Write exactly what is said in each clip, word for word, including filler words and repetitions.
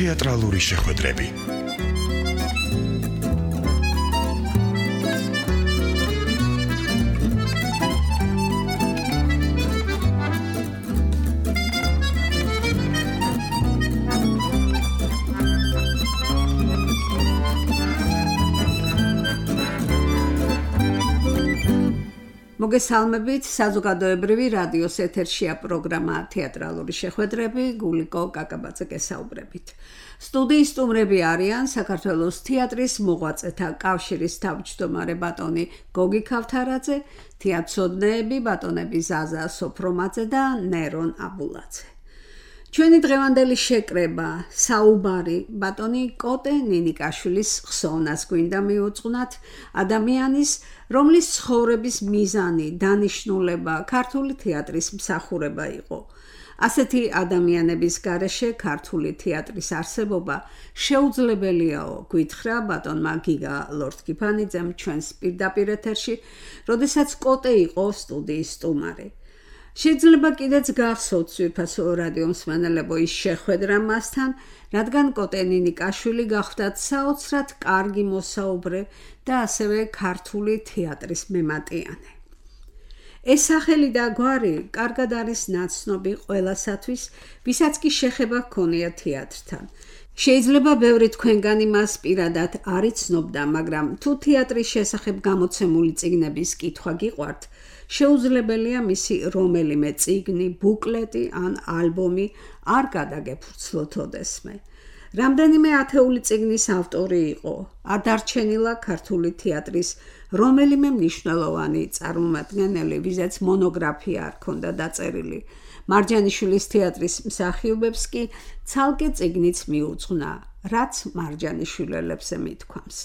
თეატრალური შეხვედრები. მოგესალმებით, საზოგადოებრივი რადიოს ეთერშია პროგრამა თეატრალური შეხვედრები, გულიკო კაკაბაძე გესაუბრებით. სტუდიის სტუმრები არიან საქართველოს თეატრის მოღვაწეთა კავშირის თავმჯდომარე ბატონი გოგი ქავთარაძე, თეატრცოდნეები ბატონები ზაზა სოფრომაძე და ნერონ აბულაძე. ჩვენი დღევანდელი შეკრება საუბარი ბატონი კოტე ნინიკაშვილის ხსოვნას გვინდა მიუძღვნათ, ადამიანის, რომლის ცხოვრების მიზანი, დანიშნულება ქართული თეატრის მსახურება იყო. ასეთი ადამიანების გარეშე ქართული თეატრის არსებობა შეუძლებელიაო, გვითხრა ბატონმა გიგა ლორთქიფანიძემ ჩვენს პირდაპირ ეთერში, როდესაც კოტე იყო სტუდიის სტუმარი. შეიძლება კიდეც გახსოვთ ძვირფასო რადიო მსმენელებო ის შეხვედრა მასთან, რადგან კოტე ნინიკაშვილი გახდათ საოცრად კარგი მოსაუბრე და ასევე ქართული თეატრის მემატიანე. ეს სახელი და გვარი კარგად არის ნაცნობი ყველასათვის, ვისაც კი შეხება ჰქონია თეატრთან. შეიძლება ბევრი თქვენგანი მას პირადად არ იცნობდა, მაგრამ თუ თეატრის შესახებ გამოცემული წიგნების კითხვა გიყვართ, შეუძლებელია მისი რომელიმე წიგნი, ბუკლეტი ან ალბომი არ გადაგეფურცლოთ ოდესმე. რამდენიმე ათეული წიგნის ავტორი იყო, ადარჩენილა ქართული თეატრის რომელიმე მნიშვნელოვანი წარმომადგენელი, ვიზაც მონოგრაფია არ ქონდა დაწერილი. მარჯანიშვილის თეატრის მსახიობებს კი ცალკე წიგნიც მიუძღვნა, რაც მარჯანიშვილელებზე მithქვამს.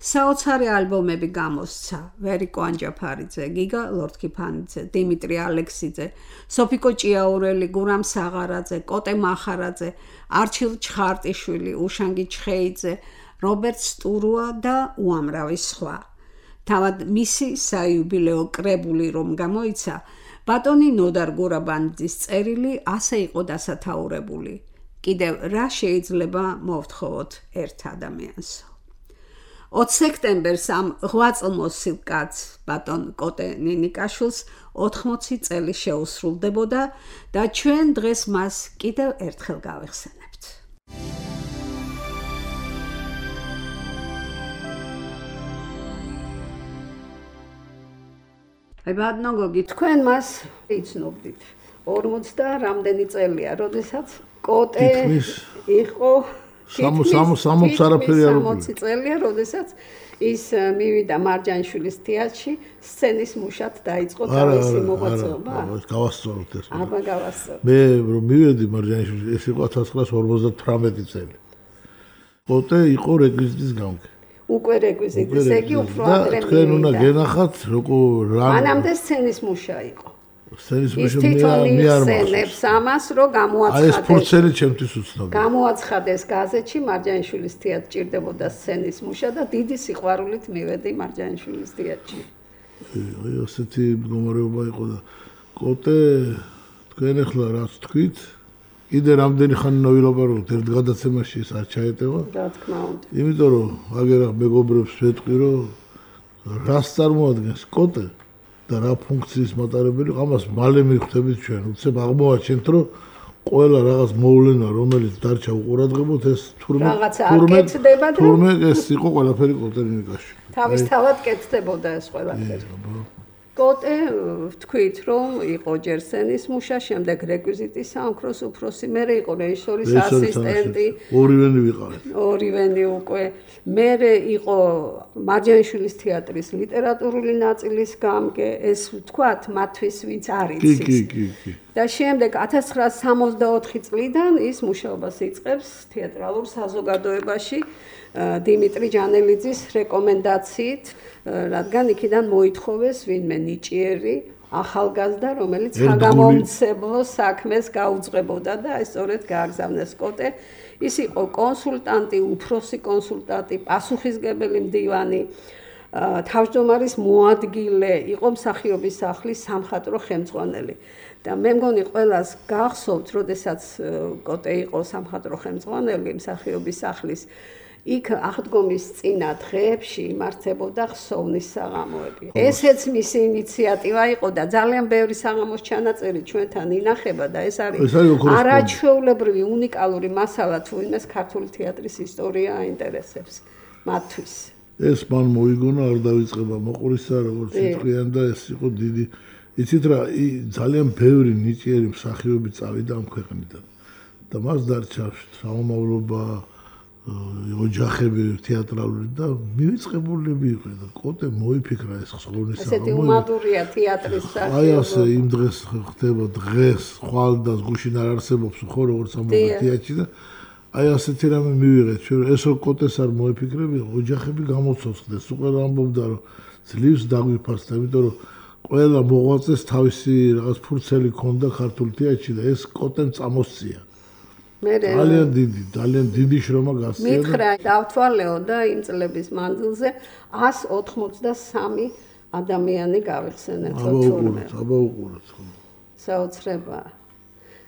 საოცარი ალბომები გამოსცა ვერიკო ანჯაფარიძე, გიგა ლორთქიფანიძე, დიმიტრი ალექსიძე, სოფიკო ჭიაურელი, გურამ საღარაძე, კოტე მახარაძე, არჩილ ჩხარტიშვილი, უშანგი ჩხეიძე, რობერტ სტურუა და უამრავი სხვა. თავად მისი საიუბილეო კრებული რომ გამოიცა, ბატონი ნოდარ გურაბანიძის წერილი ასე იყო დასათაურებული. კიდევ რა შეიძლება მოვთხოვოთ ერთ ადამიანსო. ოც სექტემბერს ამ ღვაწლმოსილ კაცს ბატონ კოტე ნინიკაშვილს ოთხმოცი წელი შეუსრულდებოდა და ჩვენ დღეს მას კიდევ ერთხელ გავეხსენებთ. აი ბატონო გოგი, თქვენ მას იცნობდით. ორმოცი და რამდენი წელია, როდესაც კოტე იყო სამოცი არაფერი არ სამოცი წელია, როდესაც ის მივიდა მარჯანიშვილის თეატრში, სცენის მუშად დაიწყო თავისი მოღვაწეობა. არა, გავასწოროთ ეს. აბა გავასწოროთ. მე რომ მივედი მარჯანიშვილის, ეს იყო ათას ცხრაასი ორმოცდათვრამეტი წელი. კოტე იყო რეკვიზიტის გამგე. უკვე რეკვიზიტის, ესე იგი უფრო ადრე მივიდა. თქვენ უნდა გენახათ, როგორ რა. მანამდე სცენის მუშა იყო. სცენის მუშა მე არ მახსენებს ამას, რომ გამოაცხადეს. აი ეს ფურცელი ჩემთვის უცნობია. გამოაცხადეს გაზეთში მარჯანიშვილის თეატრ ჭირდებოდა სცენის მუშა და დიდი სიყვარულით მივედი მარჯანიშვილის თეატრში. აი ასეთი მდგომარეობა იყო და კოტე თქვენ ახლა რაც თქვით, კიდე რამდენი ხანი ნავილაპარაკოთ ერთ გადაცემაში ეს არ ჩაეტევა. რა თქმა უნდა. იმიტომ რომ აგერახ მეგობრებს ვეთქვი, რომ რას წარმოადგენს კოტე და რა ფუნქციის მატარებელი, ამას მალე მივხვდებით ჩვენ. უცებ აღმოვაჩენთ, რომ ყველა რაღაც მოვლენა, რომელიც დარჩა უყურადღებოთ, ეს თურმე თურმე ეს იყო ყველაფერი კოტე ნინიკაშვილი. თავისთავად კეთდებოდა ეს ყველაფერი. კოტე ვთქვით, რომ იყო ჯერ სცენის მუშა, შემდეგ რეკვიზიტის საამქროს უფროსი, მერე იყო რეჟისორის ასისტენტი. ორივენი ვიყავით. ორივენი უკვე. მერე იყო მარჯანიშვილის თეატრის ლიტერატურული ნაწილის გამგე, ეს ვთქვათ, მათთვის ვინც არ იცის. კი, კი, კი. და შემდეგ ათას ცხრაასი სამოცდაოთხი წლიდან ის მუშაობას იწყებს თეატრალურ საზოგადოებაში დიმიტრი ჯანელიძის რეკომენდაციით, რადგან იქიდან მოითხოვეს ვინმე ნიჭიერი ახალგაზრდა, რომელიც საგამომცემლო საქმეს გაუძღვებოდა და ეს სწორედ გააგზავნეს კოტე. ის იყო კონსულტანტი, უფროსი კონსულტანტი, პასუხისგებელი მდივანი, თავმჯდომარის მოადგილე, იყო მსახიობის სახლის სამხატვრო ხელმძღვანელი. და მე მგონი ყველას გახსოვთ, როდესაც კოტე იყო სამხატვრო ხელმძღვანელი მსახიობის სახლის, იქ აღდგომის წინა დღეებში იმართებოდა ხსოვნის საღამოები. ესეც მისი ინიციატივა იყო და ძალიან ბევრი საღამოს ჩანაწერი ჩვენთან ინახება და ეს არის არაჩვეულებრივი უნიკალური მასალა, თუ იმას ქართული თეატრის ისტორია აინტერესებს მათთვის. ეს მან მოიგონა, არ დავიწყება მოყურისა, როგორც სიტყვიან და ეს იყო დიდი. იცით რა, ძალიან ბევრი ნიჭიერი მსახიობი წავიდა ამ ქვეყნიდან. და მას დარჩა საომავლობა, ოჯახები თეატრალური და მივიწყებულები იყვნენ და კოტე მოიფიქრა ეს ხსოვნის საღამოები. ესეთი უმადურია თეატრის სახე. აი ასე იმ დღეს ხდება დღეს, ხვალ და გუშინ არ არსებობს ხო როგორც ამბობენ თეატრში და აი ასეთი რამე მივიღეთ ჩვენ ესო კოტეს არ მოიფიქრები, ოჯახები გამოცოცხლდეს. უკვე ამბობდა რომ ძლივს დაგვიფასდა, იმიტომ რომ ყველა მოღვაწეს თავისი რაღაც ფურცელი ქონდა ქართულ თეატრში და ეს კოტემ წამოსწია. ძალიან დიდი, ძალიან დიდი შრომა გასწია. მითხრა, დავთვალეო და იმ წლების მანძილზე ას ოთხმოცდასამი ადამიანი გავიხსენეთ თორმეტ. აბა უყურეთ ხო. საოცრება.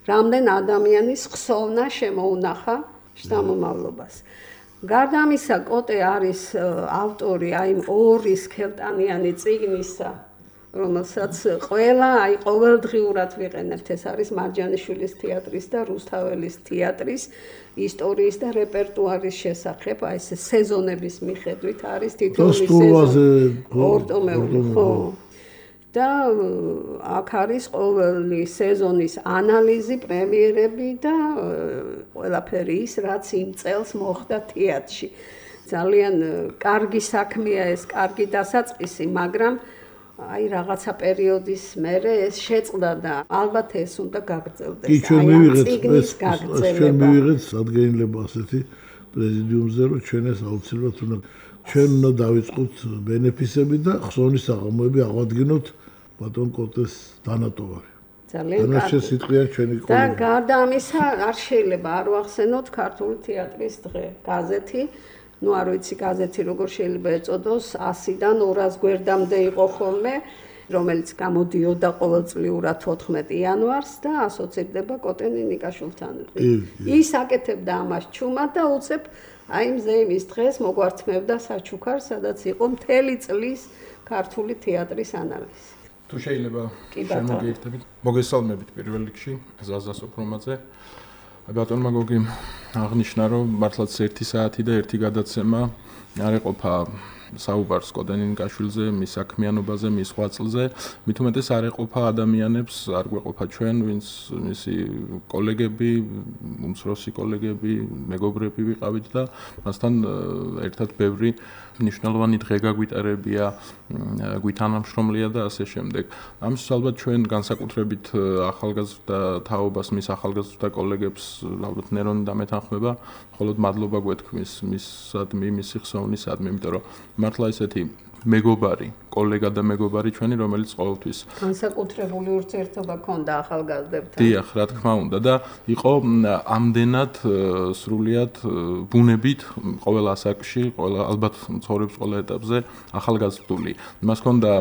რამდენ ადამიანის ხსოვნა შემოუნახა შთამომავლობას. გარდა ამისა, კოტე არის ავტორი აი ორი სქელტანიანი წიგნისა, რომელსაც ყველა აი ყოველდღიურად ვიყენებთ. ეს არის მარჯანიშვილის თეატრის და რუსთაველის თეატრის ისტორიის და რეპერტუარის შესახებ, აი ეს სეზონების მიხედვით არის თითოეული სეზონი. ხო. და აქ არის ყოველი სეზონის ანალიზი, პრემიერები და ყველაფერი ის, რაც იმ წელს მოხდა თეატრში. ძალიან კარგი საქმეა ეს, კარგი დასაწყისი, მაგრამ აი რაღაცა პერიოდის მერე ეს შეწყდა და ალბათ ეს უნდა გაგრძელდეს. კი, ჩვენ მივიღეთ ეს, ჩვენ მივიღეთ სადგენილება ასეთი პრეზიდიუმზე, რომ ჩვენ ეს აუცილებლად უნდა ჩვენ უნდა დავიწყოთ ბენეფისები და ხსოვნის საღამოები აღვადგინოთ ბატონ კოტეს დანატოვარი. ძალიან კარგი. სიტყვიან ჩვენი და გარდა ამისა, არ შეიძლება არ ვახსენოთ ქართული თეატრის დღე, გაზეთი. ნუ არ ვიცი გაზეთი როგორ შეიძლება ეწოდოს, ასიდან ორას გვერდამდე იყო ხოლმე, რომელიც გამოდიოდა ყოველწლიურად თოთხმეტი იანვარს და ასოცირდება კოტე ნინიკაშვილთან. ის აკეთებდა ამას ჩუმად და უცებ აი მზეიმის დღეს მოგვართმევდა საჩუქარს, სადაც იყო მთელი წლის ქართული თეატრის ანალიზი. თუ შეიძლება შემოგიერთებით, მოგესალმებით პირველ რიგში ზაზა სოფრომაძე. ბატონმა გოგი აღნიშნა, რომ მართლაც ერთი საათი და ერთი გადაცემა არ ეყოფა საუბარს კოტე ნინიკაშვილზე, მის საქმიანობაზე, მის ღვაწლზე, მით უმეტეს არ ეყოფა ადამიანებს, არ გვეყოფა ჩვენ, ვინც მისი კოლეგები, უმცროსი კოლეგები, მეგობრები ვიყავით და მასთან ერთად ბევრი მნიშვნელოვანი დღე გაგვიტარებია, გვითანამშრომლია და ასე შემდეგ. ამის ალბათ ჩვენ განსაკუთრებით ახალგაზრდა თაობას, მის ახალგაზრდა კოლეგებს ალბათ ნერონი დამეთანხმება, მხოლოდ მადლობა გვეთქმის მისადმი, მისი ხსოვნისადმი, იმიტომ რომ მართლა ესეთი მეგობარი, კოლეგა და მეგობარი ჩვენი, რომელიც ყოველთვის განსაკუთრებული ურთიერთობა ჰქონდა ახალგაზრდებთან. დიახ, რა თქმა უნდა და იყო ამდენად სრულიად ბუნებით ყოველ ასაკში, ყველა ალბათ ცხოვრების ყველა ეტაპზე ახალგაზრდული. მას ჰქონდა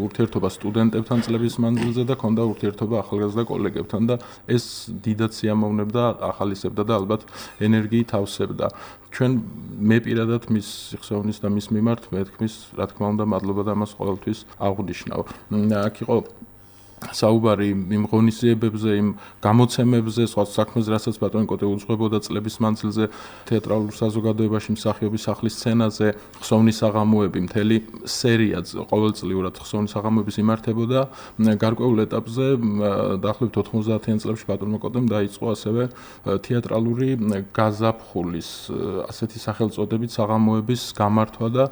ურთიერთობა სტუდენტებთან წლების მანძილზე და ჰქონდა ურთიერთობა ახალგაზრდა კოლეგებთან და ეს დიდად სიამოვნებდა, ახალისებდა და ალბათ ენერგიით ავსებდა. ჩვენ მე პირადად მის ხსოვნის და მის მიმართ მეთქმის, რა თქმა უნდა, მადლობა და მას ყოველთვის აღვნიშნავ. აქ იყო საუბარი იმ ღონისძიებებზე, იმ გამოცემებზე, სხვა საქმეზე, რასაც ბატონი კოტე უძღვებოდა წლების მანძილზე თეატრალურ საზოგადოებაში მსახიობის სახლის სცენაზე, ხსოვნის საღამოები, მთელი სერია ყოველწლიურად ხსოვნის საღამოების იმართებოდა. გარკვეულ ეტაპზე, დაახლოებით ოთხმოცდაათიან წლებში ბატონმა კოტემ დაიწყო ასევე თეატრალური გაზაფხულის, ასეთი სახელწოდებით საღამოების გამართვა და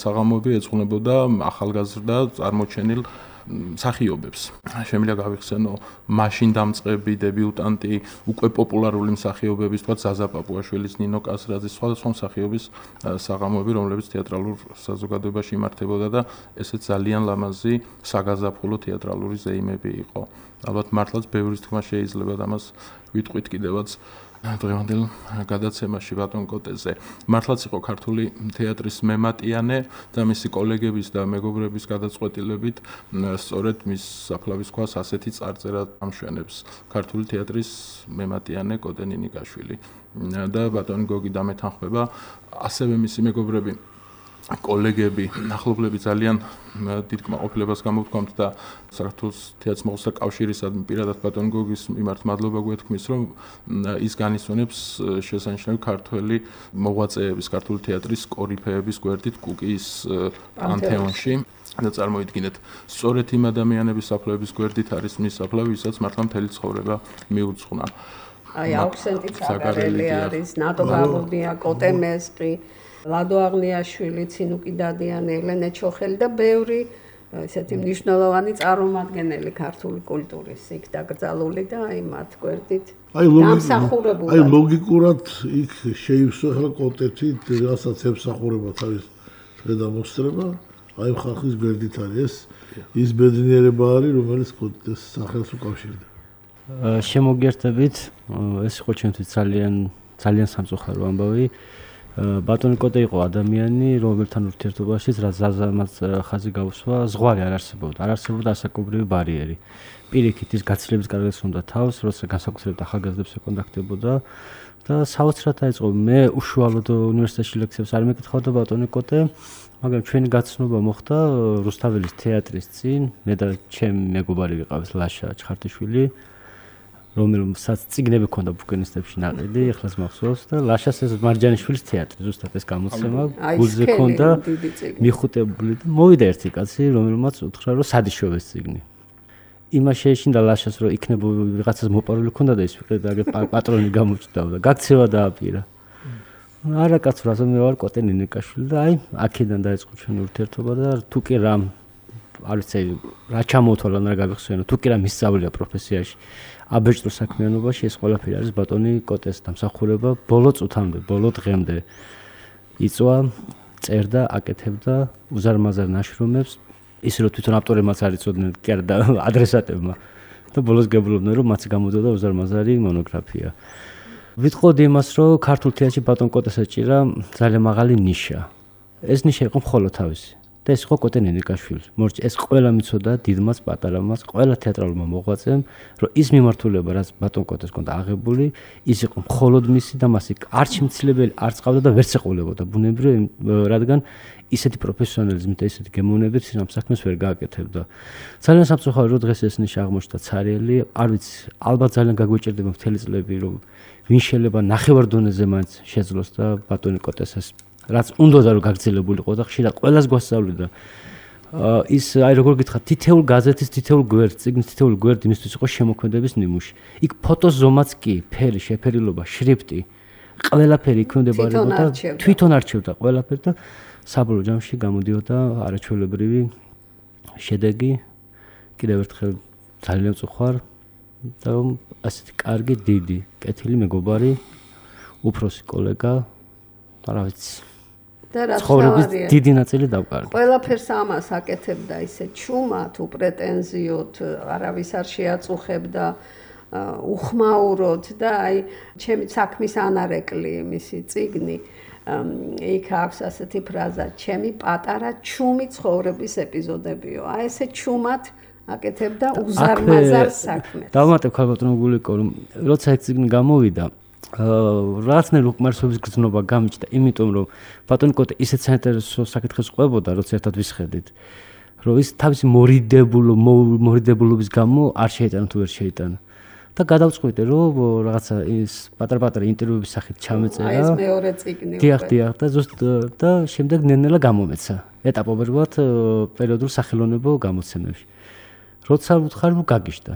საღამოები ეძღვნებოდა ახალგაზრდა წარმოჩენილ მსახიობებს. შემიძლია გავიხსენო მაშინ დამწყები, დებიუტანტი, უკვე პოპულარული მსახიობების, თქვა ზაზა პაპუაშვილის, ნინო კასრაძის, სხვადასხვა მსახიობის საღამოები, რომლებიც თეატრალურ საზოგადოებაში იმართებოდა და ესეც ძალიან ლამაზი საგაზაფხულო თეატრალური ზეიმები იყო. ალბათ მართლაც ბევრის თქმა შეიძლება და მას ვიტყვით კიდევაც დღევანდელ გადაცემაში ბატონ კოტეზე. მართლაც იყო ქართული თეატრის მემატიანე და მისი კოლეგების და მეგობრების გადაწყვეტილებით სწორედ მის საფლავის ქვას ასეთი წარწერა ამშვენებს ქართული თეატრის მემატიანე კოტე ნინიკაშვილი. და ბატონი გოგი დამეთანხმება, ასევე მისი მეგობრები კოლეგები, ახლობლები ძალიან დიდ კმაყოფილებას გამოვთქვამთ და საქართველოს თეატრს მოხსნა კავშირისადმი პირადად ბატონ გოგის მიმართ მადლობა გვეთქმის, რომ ის განისვენებს შესანიშნავი ქართველი მოღვაწეების, ქართული თეატრის კორიფეების გვერდით კუკიის პანთეონში და წარმოიდგინეთ, სწორედ იმ ადამიანების საფლავების გვერდით არის მის საფლავი, ვისაც მართლა მთელი ცხოვრება მიუძღვნა. აი აუქსენტი ცაგარელი არის, ნატო გაბურდია, კოტე მესყი, ლადო აღნიაშვილი, ცინუკი დადიანი, ელენე ჩოხელი და ბევრი ესეთი მნიშვნელოვანი წარმომადგენელი ქართული კულტურის იქ დაკრძალული და აი მათ გვერდით დამსახურებულად. აი ლოგიკურად იქ შეივსახა კოტეთი, რასაც ემსახურება თავის გადამოსწრება, აი ხალხის გვერდით არის ეს ის ბედნიერება არის, რომელიც კოტეს სახელს უკავშირდება. შემოგერთებით, ეს იყო ჩვენთვის ძალიან ძალიან სამწუხარო ამბავი. ბატონი კოტე იყო ადამიანი, რომელთან ურთიერთობაშიც რაც ზაზამაც ხაზი გაუსვა, ზღვარი არ არსებობდა, არ არსებობდა ასაკობრივი ბარიერი. პირიქით ის გაცილების კარგად უნდა თავს, როცა განსაკუთრებით ახალგაზრდებს ეკონტაქტებოდა და საოცრად დაიწყო. მე უშუალოდ უნივერსიტეტში ლექციებს არ მეკითხავდა ბატონი კოტე, მაგრამ ჩვენი გაცნობა მოხდა რუსთაველის თეატრის წინ, მე და ჩემი მეგობარი ვიყავით ლაშა ჩხარტიშვილი, რომელსაც წიგნები ჰქონდა ბუკინისტებში ნაყიდი, ეხლაც მახსოვს და ლაშას ეს მარჯანიშვილის თეატრი, ზუსტად ეს გამოცემა, გულზე ჰქონდა მიხუტებული და მოვიდა ერთი კაცი, რომელმაც უთხრა, რომ სადიშოვეს წიგნი. იმას შეეშინდა ლაშას, რომ იქნება ვიღაცას მოპარული ჰქონდა და ის ვიყიდა პატრონი გამოჩნდა და გაქცევა დააპირა. არა კაცო, რაზე მე ვარ კოტე ნინიკაშვილი და აი აქედან დაიწყო ჩვენი ურთიერთობა და თუ კი რამ არ ვიცი რა ჩამოთვალა რა გავიხსენო, თუ კი რა მისწავლია პროფესიაში. აბეჭდურ საქმიანობაში ეს ყველაფერი არის ბატონი კოტეს დამსახურება ბოლო წუთამდე, ბოლო დღემდე. იწვა, წერდა, აკეთებდა უზარმაზარ ნაშრომებს, ისე რომ თვითონ ავტორებმაც არ იცოდნენ, კი არა და ადრესატებმა. და ბოლოს გეუბნებოდნენ, რომ მათი გამოდოდა უზარმაზარი მონოგრაფია. ვიტყოდი იმას, რომ ქართულ თეატრში ბატონ კოტეს ეჭირა ძალიან მაღალი ნიშა. ეს ნიშა იყო მხოლოდ თავისი. და ეს იყო კოტე ნინიკაშვილი. მორჩ ეს ყველა მიცოდა დიდმაც, პატარამაც, ყველა თეატრალურმა მოღვაწემ, რომ ის მიმართულება, რაც ბატონ კოტეს ჰქონდა აღებული, ის იყო მხოლოდ მისი და მას იქ არც შემცლებელი, არც ყავდა და ვერც ეყოლებოდა ბუნებრივი, რადგან ისეთი პროფესიონალიზმით და ისეთი გემოვნებით ის ამ საქმეს ვერ გააკეთებდა. ძალიან სამწუხარო, რომ დღეს ეს ნიშა აღმოჩნდა ცარიელი, არ ვიცი, ალბათ ძალიან გაგვეჭირდება მთელი წლები, რომ ვინ შეიძლება ნახევარ დონეზე მაინც შეძლოს და ბატონი კოტეს ეს რაც უნდოდა რომ გაგრძელებულიყო და ხშირად ყველას გვასწავლიდა. ის აი როგორ გითხრათ, თითოეულ გაზეთის, თითოეულ გვერდს, წიგნის თითოეულ გვერდი იმისთვის იყო შემოქმედების ნიმუში. იქ ფოტოს ზომაც კი, ფერი, შეფერილობა, შრიფტი, ყველაფერი იქმნებოდა და თვითონ არჩევდა ყველაფერი და საბოლოო ჯამში გამოდიოდა არაჩვეულებრივი შედეგი. კიდევ ერთხელ ძალიან წუხარ და ასეთი კარგი, დიდი, კეთილი მეგობარი, უფროსი კოლეგა, რა ვიცი. და რა ცხოვრების დიდი ნაწილი დავკარგე. ყველაფერს ამას აკეთებდა ისე ჩუმად, უპრეტენზიოდ, არავის არ შეაწუხებდა, უხმაუროდ და აი ჩემი საქმის ანარეკლი მისი წიგნი იქ აქვს ასეთი ფრაზა, ჩემი პატარა ჩუმი ცხოვრების ეპიზოდებიო. აი ესე ჩუმად აკეთებდა უზარმაზარ საქმეს. დავუმატებ ქალბატონო გულიკო, რომ როცა ეს წიგნი გამოვიდა, რაცნაირ უკმარისობის გრძნობა გამიჩნდა, იმიტომ რომ ბატონი კოტე ისეთ საინტერესო საკითხებს ყვებოდა, როცა ერთად ვისხედით, რომ ის თავისი მორიდებულო მორიდებულობის გამო არ შეიტანა თუ ვერ შეიტანა. და გადავწყვიტე, რომ რაღაცა ის პატარ-პატარა ინტერვიუების სახით ჩამეწერა. აი ეს მეორე წიგნი. დიახ, დიახ, და ზუსტად და შემდეგ ნელ-ნელა გამომეცა. ეტაპობრივად პერიოდულ სახელოვნებო გამოცემებში. როცა ვუთხარ, რომ გაგიშდა.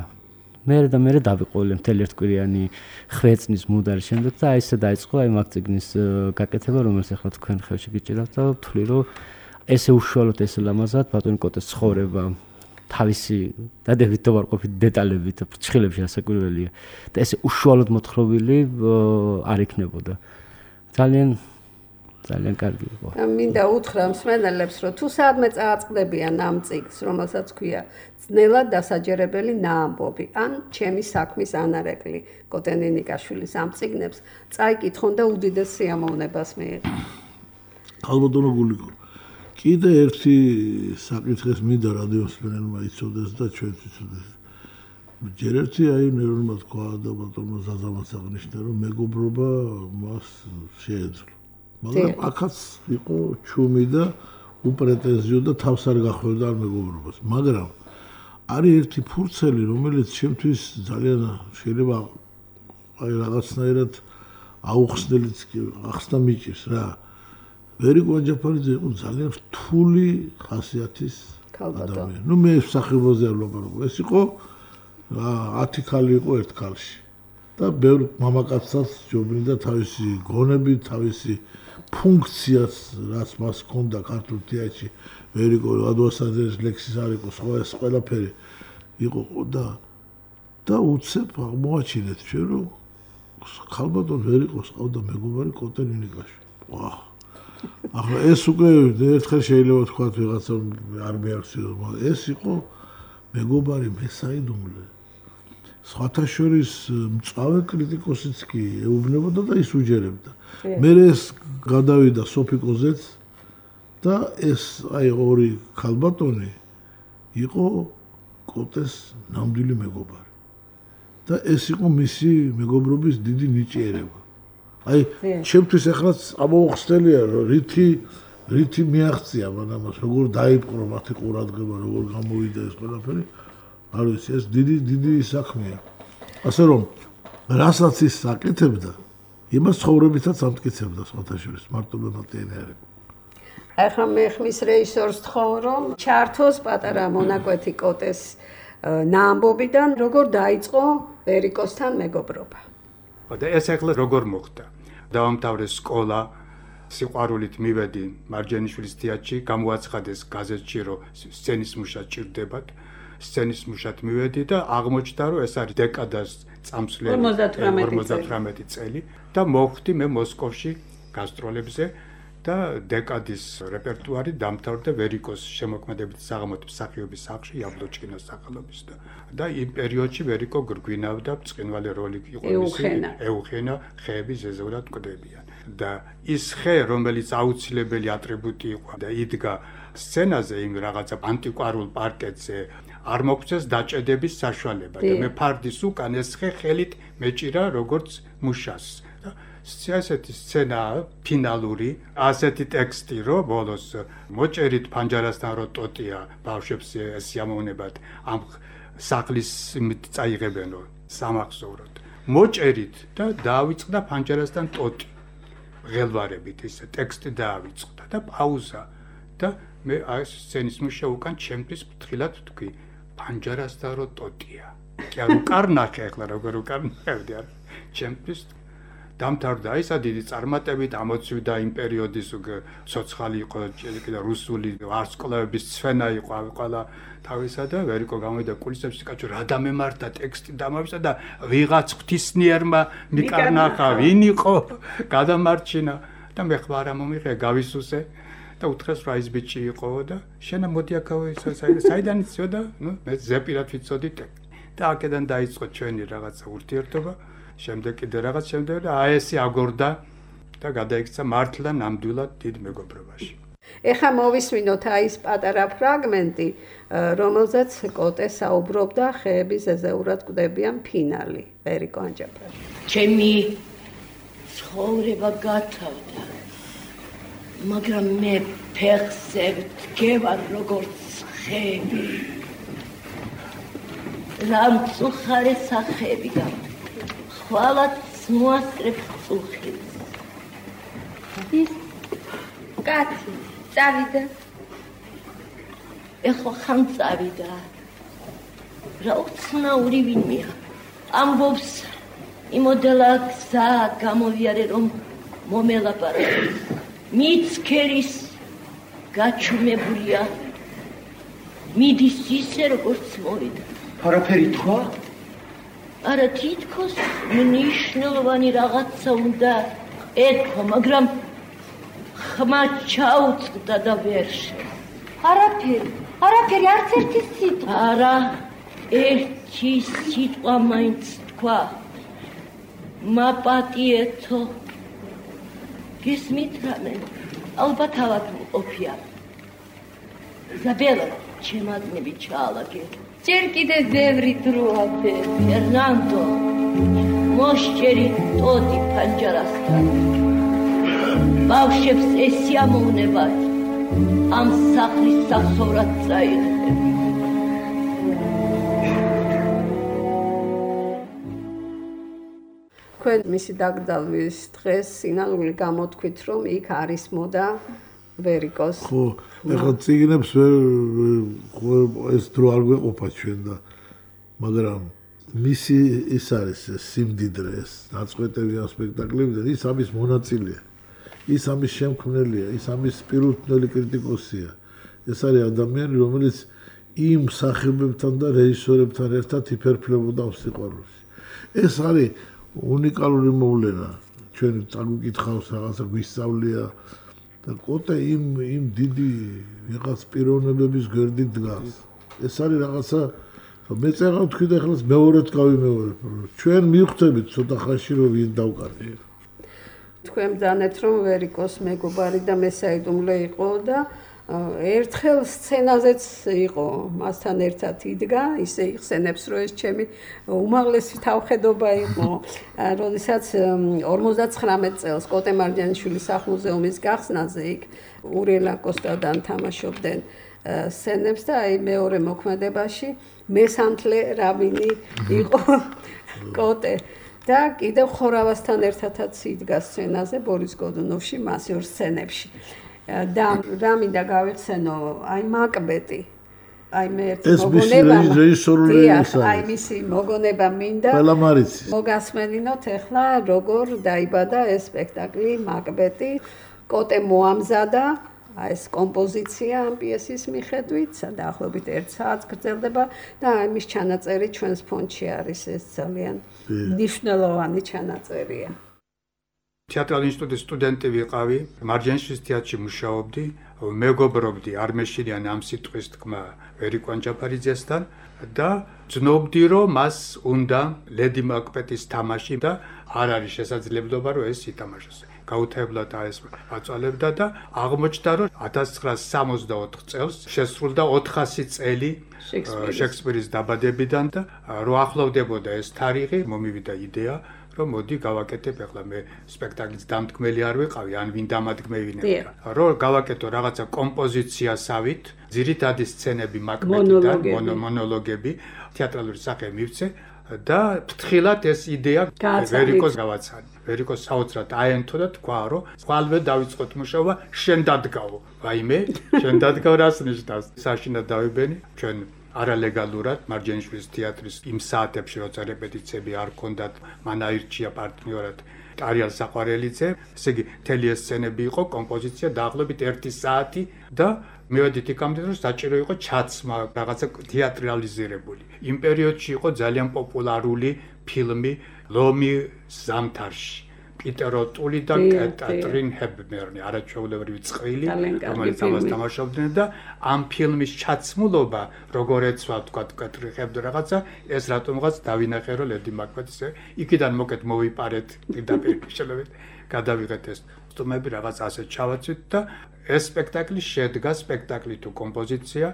მე და მე დავიყოლე მთელი ერთკვირიანი ხვეწნის მუდარი შემდეგ და აი ესე დაიწყო აი მაგ წიგნის გაკეთება, რომელიც ახლა თქვენ ხელში გიჭირავთ და ვთვლი, რომ ესე უშუალოდ ესე ლამაზად ბატონი კოტეს ცხოვრება თავისი დადებით და ვარყოფით დეტალებით ფრჩხილებში ასაკვირველია და ესე უშუალოდ მოთხრობილი არ იქნებოდა. ძალიან ძალიან კარგი იყო. მინდა უთხრა მსმენელებს, რომ თუ სადმე წააწყდებიან ამ წიგნს, რომელსაც ქვია ძნელად დასაჯერებელი ნაამბობი, ან ჩემი საქმის ანარეკლი კოტენინიკაშვილის ამ წიგნებს წაიკითხონ და უდიდეს სიამოვნებას მიიღონ. ალბათონო გულიკო. კიდე ერთი საკითხის მინდა რადიო მსმენელმა იცოდეს და ჩვენც იცოდეს. ჯერ ერთი აი ნერონმა თქვა და ბატონმა ზაზამაც აღნიშნა, რომ მეგობრობა მას შეეძლო. მაგრამ აქაც იყო ჩუმი და უპრეტენზიო და თავს არ გახვევდა არ მეგობრობას. მაგრამ არის ერთი ფურცელი, რომელიც ჩემთვის ძალიან შეიძლება აი რაღაცნაირად აუხსნელიც კი ახსნა მიჭირს რა. ვერიკო ანჯაფარიძე იყო ძალიან რთული ხასიათის ადამიანი. ნუ მე სახებაზე არ ვლაპარაკობ. ეს იყო ათი ქალი იყო ერთ ქალში. და ბევრ მამაკაცსაც ჯობნიდა თავისი გონები, თავისი ფუნქციას, რაც მას ჰქონდა ქართულ თეატრში, ვერიკო ადვასაძეს ლექსის არ იყო, სხვა ეს ყველაფერი იყო და და უცებ აღმოაჩინეთ ჩვენ, რომ ხალბატონ ვერიკოს ყავდა მეგობარი კოტენინიკაშვილი. ვა! ახლა ეს უკვე ერთხელ შეიძლება თქვა ვიღაცა არ მეახსენოს, მაგრამ ეს იყო მეგობარი მესაიდუმლე. სხვათა შორის მწავე კრიტიკოსიც კი ეუბნებოდა და ის უჯერებდა. მე ეს გადავიდა სოფიკოზეც და ეს აი ორი ქალბატონი იყო კოტეს ნამდვილი მეგობარი. და ეს იყო მისი მეგობრობის დიდი ნიჭიერება. აი ჩემთვის ახლაც ამოუხსნელია რომ რითი რითი მიაღწია მანამას როგორ დაიპყრო მათი ყურადღება როგორ გამოვიდა ეს ყველაფერი არ ვიცი ეს დიდი დიდი საქმეა ასე რომ რასაც ის აკეთებდა იმას ცხოვრებითაც ამტკიცებდა სხვათა შორის მარტო მემატიანე არ იყო ახლა მე ხმის რეჟისორს თხოვ რომ ჩართოს პატარა მონაკვეთი კოტეს ნაამბობიდან როგორ დაიწყო ვერიკოსთან მეგობრობა და ეს ახლა როგორ მოხდა დაამთავრეს სკოლა სიყვარულით მივედი მარჯანიშვილის თეატრში გამოაცხადეს გაზეთში რომ სცენის მუშა ჭირდებათ სცენის მუშად მივედი და აღმოჩნდა რომ ეს არის დეკადას წამსვლელი ორმოცდათვრამეტი წელი და მოხვდი მე მოსკოვში გასტროლებზე და დეკადის რეპერტუარი დამთავრდა ვერიკოს შემოქმედებით საღამოთი მსახიობის სახლში იაბლოჩკინოს სახელობის და და იმ პერიოდში ვერიკო გრგვინავდა ბრწყინვალე როლი იყო მისი ეუხენა ხეების ზეზეურად კვდებიან და ის ხე რომელიც აუცილებელი ატრიბუტი იყო და იდგა სცენაზე იმ რაღაცა ანტიკვარულ პარკეტზე არ მოგვწეს დაჭედების საშუალება და მე ფარდის უკან ეს ხე ხელით მეჭირა როგორც მუშას ასეთი სცენა ფინალური ასეთი ტექსტი რო ბოლოს მოჭერით ფანჯარასთან რო ტოტია ბავშვებს სიამოვნებად ამ სახლის წაიღებენო სამახსოვროდ მოჭერით და დაავიწყდა ფანჯარასთან ტოტი ღელვარებით ეს ტექსტი დაავიწყდა და პაუზა და მე აი სცენის მუშა უკან ჩემთვის ფრთხილად თქვი ფანჯარასთან რო ტოტია კი არ უკარნახე ახლა როგორ უკარნახევდი არ ჩემთვის დამთავრდა ისა დიდი წარმატებით ამოცვიდა იმ პერიოდის ცოცხალი იყო და რუსული ვარსკვლავების ცვენა იყო ყველა თავისა და ვერიკო გამოვიდა კულისებში კაცო რა დამემართა ტექსტი დამავისა და ვიღაც ღვთისნიერმა მიკარნახა ვინ იყო გადამარჩინა და მე ხმა რა მომიღე გავისუსე და უთხრეს რა ის ბიჭი იყო და შენა მოდი აქავე საიდან იცოდა ნუ მე ზეპირად ვიცოდი და აქედან დაიწყო ჩვენი რაღაცა ურთიერთობა შემდეგ კიდე რაღაც შემდეგ და აესი აგორდა და გადაიქცა მართლა ნამდვილად დიდ მეგობრობაში. ეხლა მოვისმინოთ აი ეს პატარა ფრაგმენტი, რომელზეც კოტე საუბრობდა ხეების ზეზეურად კვდებიან ფინალი, ვერიკო ანჯაფარი. ჩემი ცხოვრება გათავდა, მაგრამ მე ფეხზე ვდგევარ როგორც ხეები. რამწუხარე სახეები გაქვს. ხვალაც მოასწრებს წუხილს. ის კაცი წავიდა. ეხლა ხან წავიდა. რა უცნაური ვინმეა. ამბობს იმოდელა გზა გამოვიარე რომ მომელაპარაკოს. მიცქერის გაჩუმებულია. მიდის ისე როგორც მოვიდა. არაფერი თქვა? არა თითქოს მნიშვნელოვანი რაღაცა უნდა ეთქვა, მაგრამ ხმა ჩაუწყდა და ვერ შე. არაფერი, არაფერი, არც ერთი სიტყვა. არა, ერთი სიტყვა მაინც თქვა. მაპატიეთო. გესმით რამე? ალბათ ავად მყოფია. ზაბელა, ჩემადნები ჩაალაგე. ჯერ კიდე ბევრი დროა. ფერნანდო, მოსჭერი ტოდი პანჯარასთან. ბავშვებს ესიამოვნებათ. ამ სახლის სახსოვრად წაიღებ. თქვენ მისი დაკრძალვის დღეს სინანული გამოთქვით, რომ იქ არის მოდა ვერიკოს. ხო, ეხლა წიგნებს ვერ ეს დრო არ გვეყოფა ჩვენ და მაგრამ მისი ის არის სიმდიდრე, ეს ნაწყვეტები ამ სპექტაკლებიდან, ის ამის მონაწილეა. ის ამის შემქმნელია, ის ამის პირუთვნელი კრიტიკოსია. ეს არის ადამიანი, რომელიც იმ სახებებთან და რეჟისორებთან ერთად იფერფლებოდა ამ სიყვარულს. ეს არის უნიკალური მოვლენა. ჩვენ წაგვიკითხავს რაღაცა გვისწავლია და კოტე იმ იმ დიდი ვიღაც პიროვნებების გვერდით დგას. ეს არის რაღაცა მე წერა თქვი და ახლა მეორედ გავიმეორებ. ჩვენ მივხვდებით ცოტა ხანში რომ ვინ დავკარგეთ. თქვენ ბძანეთ რომ ვერიკოს მეგობარი და მესაიდუმლე იყო და ერთხელ სცენაზეც იყო მასთან ერთად იდგა, ისე იხსენებს რომ ეს ჩემი უმაღლესი თავხედობა იყო, როდესაც ორმოცდაცხრამეტ წელს კოტე მარჯანიშვილის სახლ-მუზეუმის გახსნაზე იქ ურიელა კოსტადან თამაშობდნენ სცენებს და აი მეორე მოქმედებაში მესანთლე რაბინი იყო კოტე. და კიდევ ხორავასთან ერთადაც იდგა სცენაზე ბორის გოდუნოვში მასიურ სცენებში. და რა მინდა გავიხსენო, აი მაკბეტი. აი მე ერთი მოგონება. ეს რეჟისორული ისაა. აი მისი მოგონება მინდა. ყველა მარიცის. მოგასმენინოთ ახლა როგორ დაიბადა ეს სპექტაკლი მაკბეტი. კოტე მოამზადა აი ეს კომპოზიცია ამ პიესის მიხედვით, დაახლოებით ერთ საათს გრძელდება და ამის ჩანაწერი ჩვენს ფონდში არის, ეს ძალიან მნიშვნელოვანი ჩანაწერია. თეატრალური ინსტიტუტის სტუდენტი ვიყავი, მარჯანიშვილის თეატრში მუშაობდი, მეგობრობდი არმეშილიან ამ სიტყვის თქმა ვერიკო ანჯაფარიძესთან და ძნობდი რომ მას უნდა ლედი მაკბეტის თამაში და არ არის შესაძლებლობა რომ ეს ითამაშოს. გაუთებლად ეს აწვალებდა და აღმოჩნდა რომ ათას ცხრაასი სამოცდაოთხ წელს შესრულდა ოთხასი წელი შექსპირის დაბადებიდან და რო ახლოვდებოდა ეს თარიღი, მომივიდა იდეა რომ მოდი გავაკეთებ, ახლა მე სპექტაკლის დამდგმელი არ ვიყავი, ან ვინ დამადგმევინებდა. რომ გავაკეთო რაღაცა კომპოზიციასავით, ძირითადი სცენები მაკბეტიდან, მონოლოგები, თეატრალური სახე მივცე და ფრთხილად ეს იდეა ვერიკოს გავაცანი. ვერიკოს საოცრად აენთო და თქვა, რომ ხვალვე დავიწყოთ მუშაობა, შენ დადგავო. ვაიმე, შენ დადგავ რას ნიშნავს? საშინად დავიბენი, ჩვენ არალეგალურად მარჯანიშვილის თეატრის იმ საათებში, როცა რეპეტიციები არ ჰქონდათ, მან აირჩია პარტნიორად ტარიალ საყვარელიძე, ესე იგი, მთელი ეს სცენები იყო, კომპოზიცია დაახლოებით ერთი საათი და მივედით იქამდე, რომ საჭირო იყო ჩაცმა, რაღაცა თეატრალიზირებული. იმ პერიოდში იყო ძალიან პოპულარული ფილმი ლომი ზამთარში. პიტერ ოტული და კატრინ ჰეპბერნი, არაჩვეულებრივი წყვილი, რომელიც ამას თამაშობდნენ და ამ ფილმის ჩაცმულობა, როგორ ეცვა, თქვა, კატრინ ჰეპბერნი რაღაცა, ეს რატომღაც დავინახე, რომ ლედი მაკბეტის იქიდან მოკეთ მოვიპარეთ პირდაპირ შელებით, გადავიღეთ ეს სტუმები რაღაც ასეთ ჩავაცვით და ეს სპექტაკლი შედგა სპექტაკლი თუ კომპოზიცია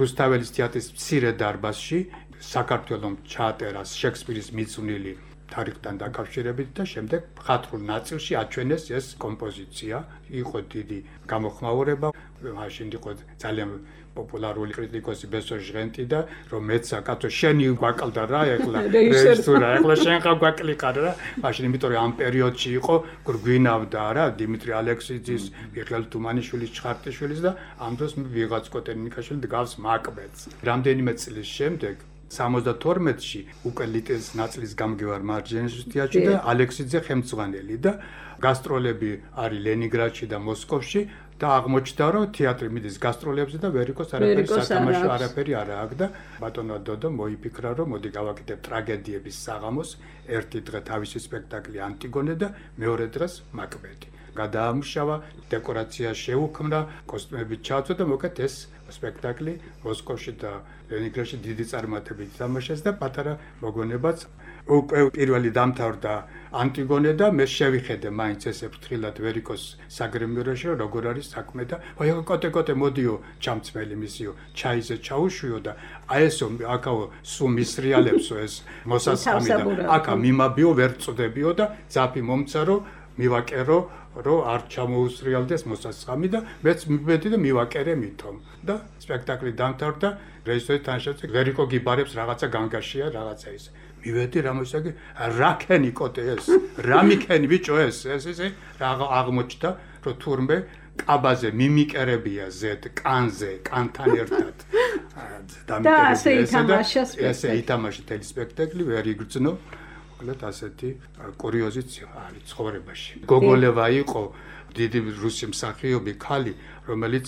რუსთაველის თეატრის მცირე დარბაზში, საქართველოს ჩაატერა შექსპირის მიძღვნილი თარიღთან დაკავშირებით და შემდეგ მხატვრულ ნაწილში აჩვენეს ეს კომპოზიცია. იყო დიდი გამოხმაურება, მაშინ იყო ძალიან პოპულარული კრიტიკოსი ბესო ჟღენტი და რომ მეცა კაცო შენი გვაკლდა რა ეხლა რეჟისორა ეხლა შენ ხა გვაკლიყარ რა მაშინ იმიტომ რომ ამ პერიოდში იყო გვინავდა რა დიმიტრი ალექსიძის, მიხეილ თუმანიშვილის, ჩხარტიშვილის და ამ დროს ვიღაც კოტენიკაშვილი დგავს მაკბეტს. რამდენიმე წლის შემდეგ სამოცდათორმეტში უკვე ლიტეს ნაწილის გამგევარ მარჯანიშვილის თეატრში და ალექსიძე ხელმძღვანელი და გასტროლები არის ლენინგრადში და მოსკოვში და აღმოჩნდა რომ თეატრი მიდის გასტროლებზე და ვერიკოს არაფერი სათამაშო არაფერი არ აქვს და ბატონო დოდო მოიფიქრა რომ მოდი გავაკეთებ ტრაგედიების საღამოს ერთი დღე თავისი სპექტაკლი ანტიგონე და მეორე დღეს მაკბეტი გადაამუშავა, დეკორაცია შეუქმნა, კოსტუმები ჩააწვა და მოკეთ ეს სპექტაკლი მოსკოვში და ლენინგრადში დიდი წარმატებით თამაშეს და პატარა მოგონებაც უკვე პირველი დამთავრდა ანტიგონე და მე შევიხედე მაინც ესე ფრთხილად ვერ იყოს საგრემიეროში როგორ არის საქმე და აი კოტე-კოტე მოდიო ჩამწმელი მისიო ჩაიზე ჩაუშვიო და აი ესო აკაო სულ მისრიალებსო ეს მოსასხამი და აკა მიმაბიო ვერ წდებიო და ძაფი მომცარო მივაკერო რომ არ ჩამოუსრიალდეს მოსასხამი და მეც მიბედი და მივაკერე მithom და სპექტაკლი დამთავრდა რეჟისორი თანაშემწე ვერ იყო გიბარებს რაღაცა განგაშია რაღაცა ის მივედი რა მოსაგე რა ქენი კოტე ეს რა მიქენი ბიჭო ეს ეს ესე რა აღმოჩნდა რომ თურმე კაბაზე მიმიკერებია ზედ კანზე კანთან ერთად და ასე ითამაშა სპექტაკლი ესე ითამაშა თელი სპექტაკლი ვერ იგრძნო მოკლედ ასეთი კურიოზიც არის ცხოვრებაში გოგოლევა იყო დიდი რუსი მსახიობი ქალი რომელიც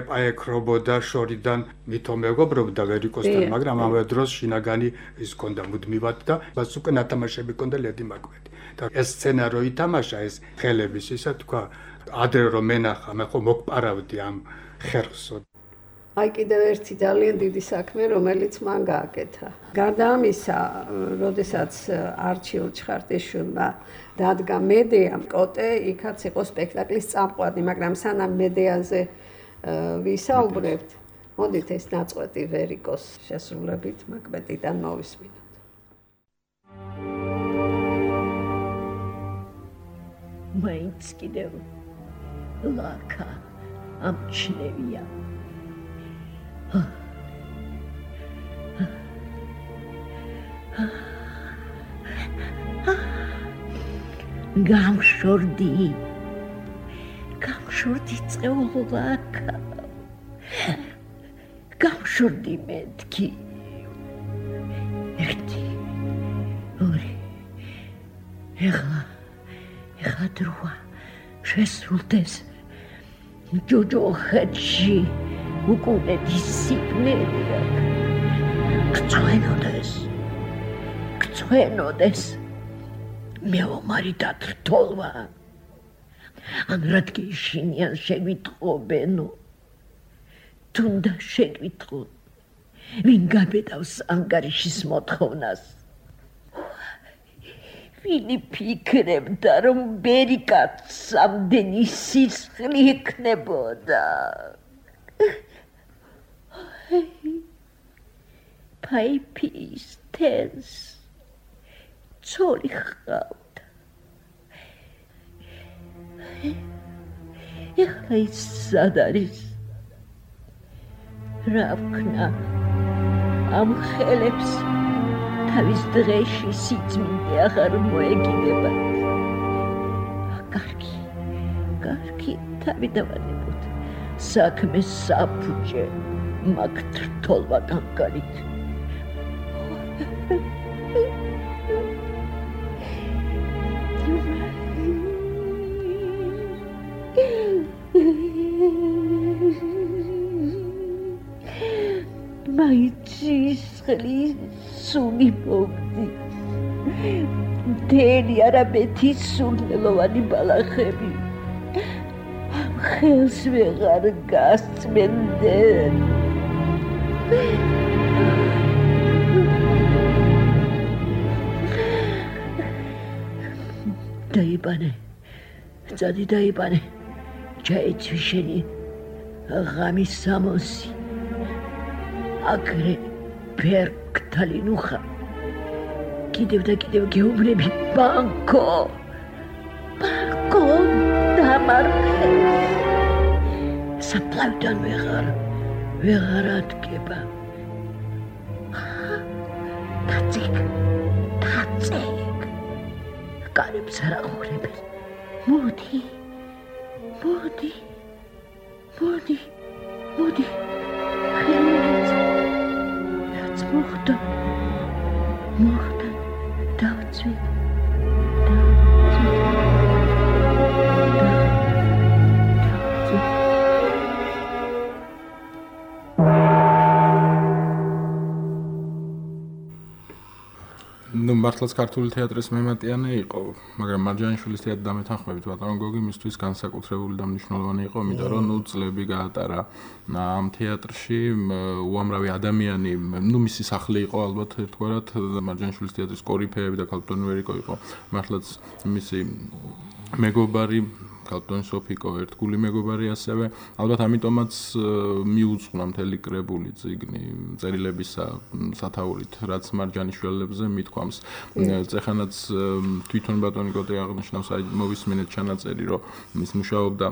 ეპაექრობოდა შორიდან მითო მეგობრობდა ვერ იყოსთან მაგრამ ამავე დროს შინაგანი ის ქონდა მუდმივად და მას უკვე ნათამაშები ქონდა ლედი მაკვეთი და ეს სცენა რო ითამაშა ეს ხელების ისა თქვა ადრე რომ მენახა მე ხო მოგპარავდი ამ ხერხსო აი კიდევ ერთი ძალიან დიდი საქმე რომელიც მან გააკეთა გარდა ამისა როდესაც არჩილ ჩხარტიშვილმა დადგა მედეა კოტე იქაც იყო სპექტაკლის წამყვანი მაგრამ სანამ მედეაზე ვისაუბრებთ მოდით ეს ნაწყვეტი ვერიკოს შესრულებით მაკვეტიდან მოვისმინოთ მაინც კიდევ ლაკა ამჩნევია გამშორდი გამშორდი წეულაკა გამშორდი მეთქი ერთი ორი ეხლა ეხლა დროა შესრულდეს ჯოჯოხეთში უკუნეთი სიგნელია გწვენოდეს გწვენოდეს მეომარი დათრთოლვა ან რადგან შინიან შევიტყობენო თუნდა შევიტყო ვინ გაბედავს ანგარიშის მოთხოვნას ვინი ფიქრებდა რომ ბერიკაც ამდენი სისხლი იქნებოდა ფაიფის თენს ცოლი ხავდა ეხლა ის სად არის რა ვქნა ამ ხელებს თავის დღეში სიწმინდე აღარ მოეკიდებათ კარგი კარგი თავი დავანებოთ საქმე საფუჭე მაგ თრთოლვა კანკარით მაიცისხლი სული მოგდი მთელი არაბეთის სულელოვანი ბალახები ამ ხელს ვეღარ გასწმენდნენ დაიბანე წადი დაიბანე ჩაეცვი შენი ღამის სამოსი აგრე ფერკთალინუხა კიდევ და კიდევ გეუბნები ბანკო ბანკო დამარხეს საფლავიდან ვეღარ ვეღარ ადგება თაციკ თაციკ კარებს არ აღვხრებენ მოდი მოდი მოდი მოდი რაც მოხდა მოხდა დავწვი მართლაც ქართული თეატრის მემატიანე იყო, მაგრამ მარჯანიშვილის თეატრი დამეთანხმებით ბატონო გოგი მისთვის განსაკუთრებული და მნიშვნელოვანი იყო, იმიტომ რომ ნუ წლები გაატარა ამ თეატრში, უამრავი ადამიანი, ნუ მისი სახლი იყო ალბათ ერთგვარად მარჯანიშვილის თეატრის კორიფეები და ქალბატონი ვერიკო იყო მართლაც მისი მეგობარი ქალბატონი სოფიკო ერთგული მეგობარი ასევე ალბათ ამიტომაც მიუძღვნა მთელი კრებული წიგნი წერილებისა სათაურით რაც მარჯანიშვილებზე მithქვამს წეხანაც თვითონ ბატონი კოტე აღნიშნავს აი მოვისმინეთ ჩანაწერი რომ ის მუშაობდა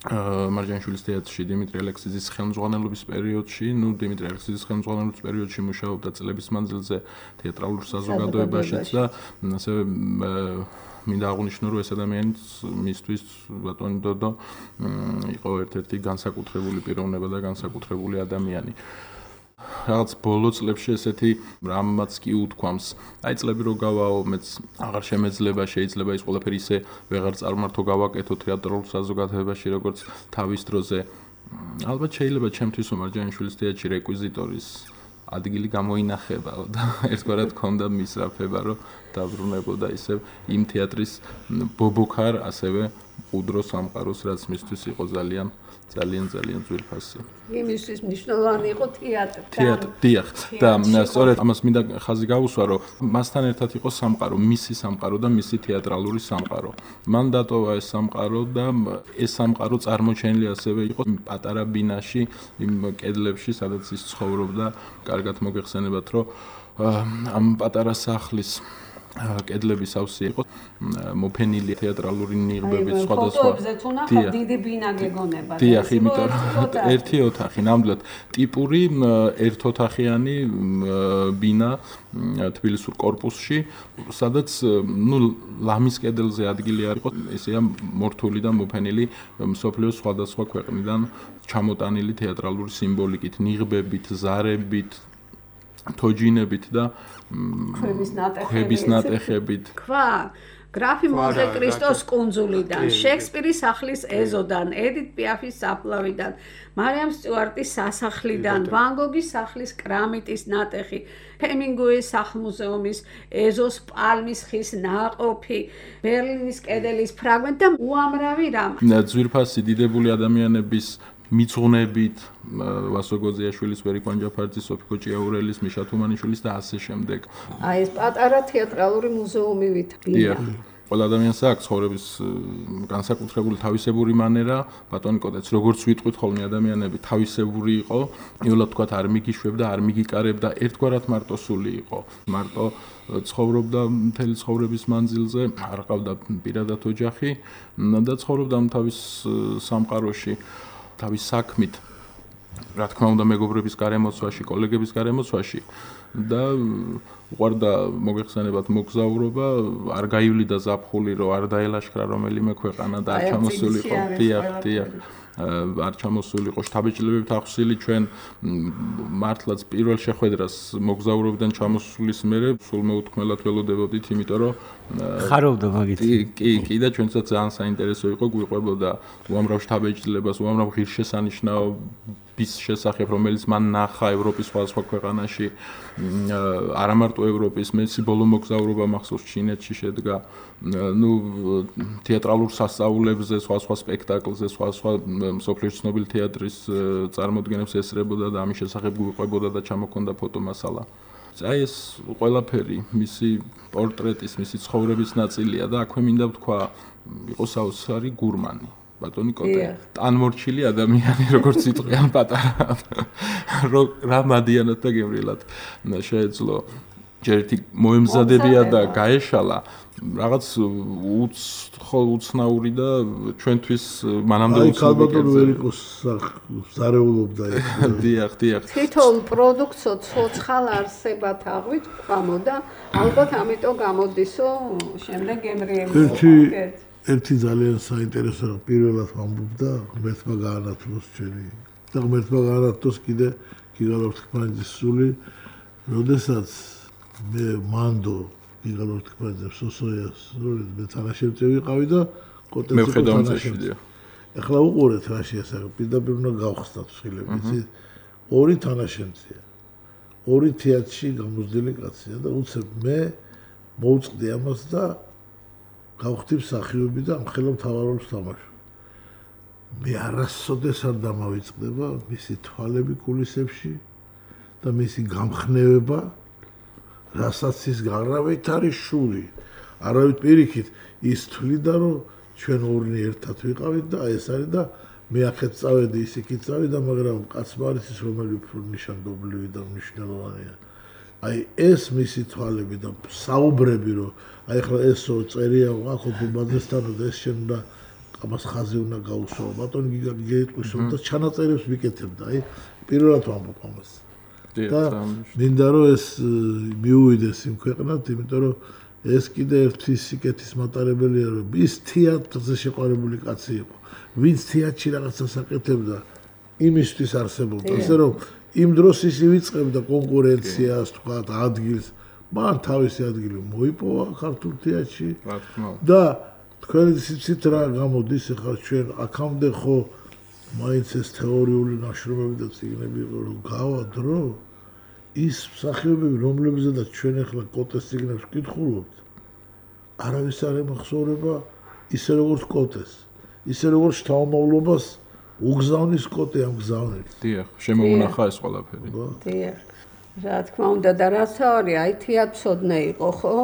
მარჯანიშვილის თეატრში დიმიტრი ალექსიძის ხელმძღვანელობის პერიოდში, ნუ დიმიტრი ალექსიძის ხელმძღვანელობის პერიოდში მუშაობდა წლების მანძილზე თეატრალურ საზოგადოებაშიც და ასევე მინდა აღვნიშნო რომ ეს ადამიანიც მისთვის ბატონი დოდო იყო ერთ-ერთი განსაკუთრებული პიროვნება და განსაკუთრებული ადამიანი. რაღაც ბოლო წლებში ესეთი რამაც კი უთქვამს. აი წლები რო გავაო, მეც აღარ შემეძლება, შეიძლება ის ყველაფერი ისე ვეღარ წარმართო გავაკეთო თეატრალურ საზოგადოებაში, როგორც თავის დროზე. ალბათ შეიძლება ჩემთვის მარჯანიშვილის თეატრში რეკვიზიტორის ადგილი გამოინახებაო და ერთგვარად ქონდა მისრაფება, რომ დაბრუნებოდა ისევ იმ თეატრის ბობოქარ, ასევე უდრო სამყაროს, რაც მისთვის იყო ძალიან ძალიან ძალიან ძვირფასი. იმისთვის მნიშვნელოვანი იყო თეატრი. თეატრი, დიახ. და სწორედ ამას მინდა ხაზი გავუსვა, რომ მასთან ერთად იყო სამყარო, მისი სამყარო და მისი თეატრალური სამყარო. მან დატოვა ეს სამყარო და ეს სამყარო წარმოჩენილი ასევე იყო პატარა ბინაში, იმ კედლებში, სადაც ის ცხოვრობდა. კარგად მოგეხსენებათ, რომ ამ პატარა სახლის კედლების ავსი იყო მოფენილი თეატრალური ნიღბებით სხვადასხვა. ფოტოებზე თუნახავ დიდი ბინა გეგონება. დიახ, იმიტომ რომ ერთი ოთახი, ნამდვილად ტიპური ერთოთახიანი ბინა თბილისურ კორპუსში, სადაც ნუ ლამის კედელზე ადგილი არ იყო, ესეა მორთული და მოფენილი მსოფლიოს სხვადასხვა ქვეყნიდან ჩამოტანილი თეატრალური სიმბოლიკით, ნიღბებით, ზარებით, თოჯინებით და ქვების ნატეხებით. ქვა გრაფი მონტე-კრისტოს კუნძულიდან, შექსპირის სახლის ეზოდან, ედით პიაფის საფლავიდან, მარიამ სტიუარტის სასახლიდან, ვან გოგის სახლის კრამიტის ნატეხი, ჰემინგუეის სახლ-მუზეუმის ეზოს პალმის ხის ნაყოფი, ბერლინის კედელის ფრაგმენტი და უამრავი რამ. ძვირფასი დიდებული ადამიანების მიძღვნებით ვასო გოზიაშვილის, ვერიკო ანჯაფარიძის, სოფიკო ჭიაურელის, მიშა თუმანიშვილის და ასე შემდეგ. აი ეს პატარა თეატრალური მუზეუმი ვითბია. ყველა ადამიანს აქვს ცხოვრების განსაკუთრებული თავისებური მანერა, ბატონი კოტეც როგორც ვიტყვით ხოლმე ადამიანები თავისებური იყო, იოლად თქვათ არ მიგიშვებდა, არ მიგიკარებდა, ერთგვარად მარტოსული იყო. მარტო ცხოვრობდა მთელი ცხოვრების მანძილზე, არ ყავდა პირადად ოჯახი და ცხოვრობდა თავის სამყაროში. თავის საქმით, რა თქმა უნდა, მეგობრების გარემოცვაში, კოლეგების გარემოცვაში და უყვარდა მოგეხსენებათ მოგზაურობა, არ გაივლიდა ზაფხული, რომ არ დაელაშქრა რომელიმე ქვეყანა და არ ჩამოსულიყო. დიახ, დიახ. არ ჩამოსულიყო შთაბეჭდილებით ახსილი ჩვენ მართლაც პირველ შეხვედრას მოგზაურობიდან ჩამოსulis მერე სულ მეუთქმელად ველოდებოდით, იმიტომ რომ ხარობდა მაგით. კი, კი და ჩვენსაც ძალიან საინტერესო იყო, გვიყვებოდა უამრავ შთაბეჭდილებას, უამრავ ღირსშესანიშნაობის შესახებ, რომელიც მან ნახა ევროპის სხვადასხვა ქვეყანაში, არა მარტო ევროპის, მეცი ბოლო მოგზაურობა მახსოვს ჩინეთში შედგა, ნუ თეატრალურ სასწაულებზე, სხვადასხვა სპექტაკლზე, სხვადასხვა მსოფლიოს ცნობილი თეატრის წარმოდგენებს ესწრებოდა და ამის შესახებ გვიყვებოდა და ჩამოქონდა ფოტომასალა. აი ეს ყველაფერი მისი პორტრეტის, მისი ცხოვრების ნაწილია და აქვე მინდა ვთქვა, იყო საოცარი გურმანი. ბატონი კოტე, ტანმორჩილი ადამიანი, როგორც იტყვიან პატარა. რა მადიანად და გემრიელად შეეძლო. ჯერ ერთი მოემზადებია და გაეშალა. რაღაც უცნაური და ჩვენთვის მანამდე უცნობი. აი ქალბატონ ვერიკოს ზარეულობდა ეს. დიახ, დიახ. თითოეულ პროდუქტსო ცოცხალ არსებად აღვიქვამო და ალბათ ამიტომ გამოდისო შემდეგ გემრიელი. ერთი ძალიან საინტერესო რა პირველად ვამბობდა ღმერთმა გაანათლოს ჩვენი და ღმერთმა გაანათლოს კიდე გიგალ ორთქმანიძის სული, როდესაც მე მანდო გიგალ ორთქმანიძე სოსოიას როლით მე თანაშემწე ვიყავი და კოტეცი მე ხედავმწეშია. ახლა უყურეთ რა შეასახე, პირდაპირ უნდა გავხსნათ ხილები, იცი? ორი თანაშემწეა. ორი თეატრში გამოსდილი კაცია და უცებ მე მოვწყდი ამას და გავხდი მსახიობი და ამხელა მთავარ როლს თამაშობ. მე არასოდეს არ დამავიწყდება მისი თვალები კულისებში და მისი გამხნევება, რასაც ის გარავით არის შური. არავით პირიქით ის თვლიდა რომ ჩვენ ორი ერთად ვიყავით და ეს არის და მე ახეთ წავედი ის იქით წავიდა, მაგრამ კაცმა არის ის რომელი უფრო ნიშანდობლივი და მნიშვნელოვანია. აი ეს მისი თვალები და საუბრები რომ აი ახლა ესო წერია აქ ბაზესთან და ეს შენ და ამას ხაზი უნდა გაუსვა. ბატონი გიგეთყვისო და ჩანაწერებს ვიკეთებდა. აი პირველად ვამბობ ამას. და მინდა რომ ეს მიუვიდეს იმ ქვეყნად, იმიტომ რომ ეს კიდე ერთი სიკეთის მატარებელია რომ ის თეატრზე შეყვარებული კაცი იყო. ვინც თეატრში რაღაცას აკეთებდა, იმისთვის არსებობდა. ასე რომ იმ დროს ის ივიწყებდა კონკურენციას, თქვა ადგილს, მან თავისი ადგილი მოიპოვა ქართულ თეატრში. და თქვენი სიცით რა გამოდის ახლა ჩვენ აქამდე ხო მაინც ეს თეორიული ნაშრომები და წიგნები იყო რომ გავა დრო ის მსახიობები რომლებზედაც ჩვენ ახლა კოტეს წიგნებს ვკითხულობთ არავის არ ემახსოვრება ისე როგორც კოტეს ისე როგორც შთამომავლობას უგზავნის კოტე ამ გზავნილს. დიახ, შემოუნახა ეს ყველაფერი. დიახ. რა თქმა უნდა და რასაური აი თეატრსოდნე იყო ხო?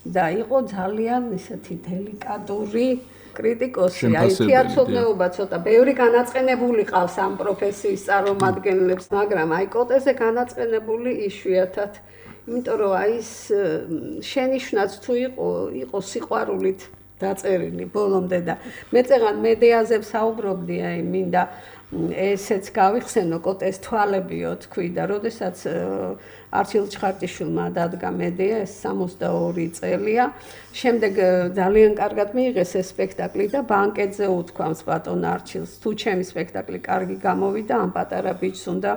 და იყო ძალიან ისეთი დელიკატური კრიტიკოსი. აი თეატრსოდნეობა ცოტა ბევრი განაწყენებული ყავს ამ პროფესიის წარმომადგენლებს, მაგრამ აი კოტეზე განაწყენებული იშვიათად. იმიტომ რომ აი ეს შენიშვნაც თუ იყო, იყო სიყვარულით დაწერილი ბოლომდე და მე წეგან მედეაზე ვსაუბრობდი, აი მინდა ესეც გავიხსენო კოტეს თვალებიო თქვი და როდესაც არჩილ ჩხარტიშვილმა დადგა მედეა ეს სამოცდაორი წელია შემდეგ ძალიან კარგად მიიღეს ეს სპექტაკლი და ბანკეტზე უთქვამს ბატონ არჩილს თუ ჩემი სპექტაკლი კარგი გამოვიდა ამ პატარა ბიჭს უნდა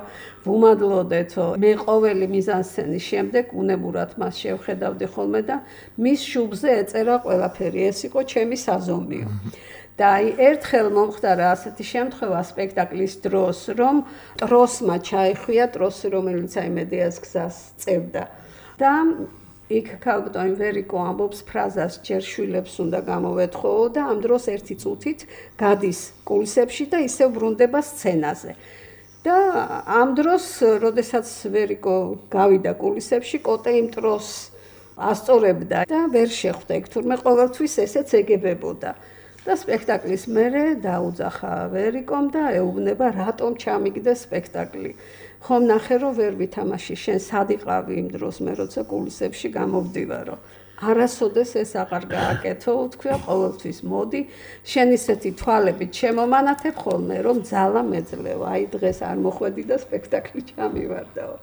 ვუმადლოდეთო მე ყოველი მიზანსცენის შემდეგ უნებურად მას შევხედავდი ხოლმე და მის შუბზე ეწერა ყველაფერი ეს იყო ჩემი საზომიო და აი ერთხელ მომხდარა ასეთი შემთხვევა სპექტაკლის დროს, რომ ტროსმა ჩაიხვია ტროსი, რომელიც აი მედეას გზას წევდა. და იქ ქალბატონი ვერიკო ამბობს ფრაზას ჯერ შვილებს უნდა გამოვეთხოო და ამ დროს ერთი წუთით გადის კულისებში და ისევ ბრუნდება სცენაზე. და ამ დროს, როდესაც ვერიკო გავიდა კულისებში, კოტე იმ ტროსს ასწორებდა და ვერ შეხვდა იქ, თურმე ყოველთვის ესეც ეგებებოდა. და სპექტაკლის მერე დაუძახა ვერიკომ და ეუბნება რატომ ჩამიგდა სპექტაკლი. ხომ ნახე რომ ვერ ვითამაში შენ სად იყავი იმ დროს მე როცა კულისებში გამოვდივარო. არასოდეს ეს აღარ გააკეთო, თქვია ყოველთვის მოდი, შენ ისეთი თვალებით შემომანათებ ხოლმე რომ ძალა მეძლევა. აი დღეს არ მოხვედი და სპექტაკლი ჩამივარდაო.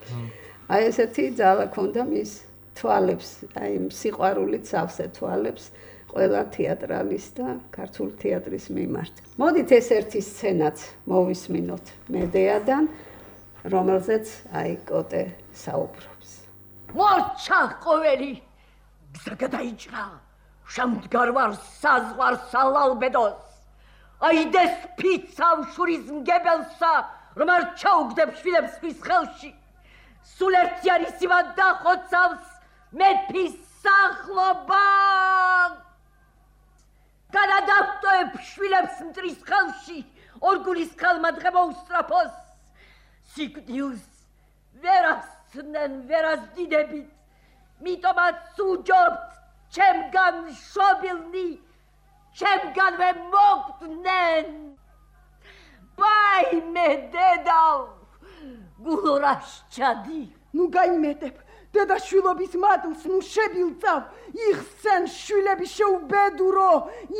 აი ესეთი ძალა ქონდა მის თვალებს, აი სიყვარულით სავსე თვალებს. ყველა თეატრალის და ქართული თეატრის მიმართ. მოდით ეს ერთი სცენაც მოვისმინოთ მედეადან, რომელზეც აი კოტე საუბრობს. მორჩა ყოველი გზა გადაიჭრა, შემდგარ ვარ საზღვარ სალალბედოს. აიდეს ფიცავ შურის მგებელსა, რომ არ ჩაუგდებ შვილებს ხის ხელში. სულ ერთი არის ივად დახოცავს მეფის სახლობა. განადავტოებ შვილებს მტრის ხელში, ორგულის ხელმადღება უსწრაფოს. სიკვდილს ვერასცნენ ვერასდიდებით, მიტომაც უჯობთ ჩემგან შობილნი, ჩემგანვე მოგდნენ. ბაიმე დედავ, გულორაშჩადი. ნუ გაიმეტებ. დედა შვილობის მადლს ნუ შებილწავ, იხსენ შვილები შეუბედურო,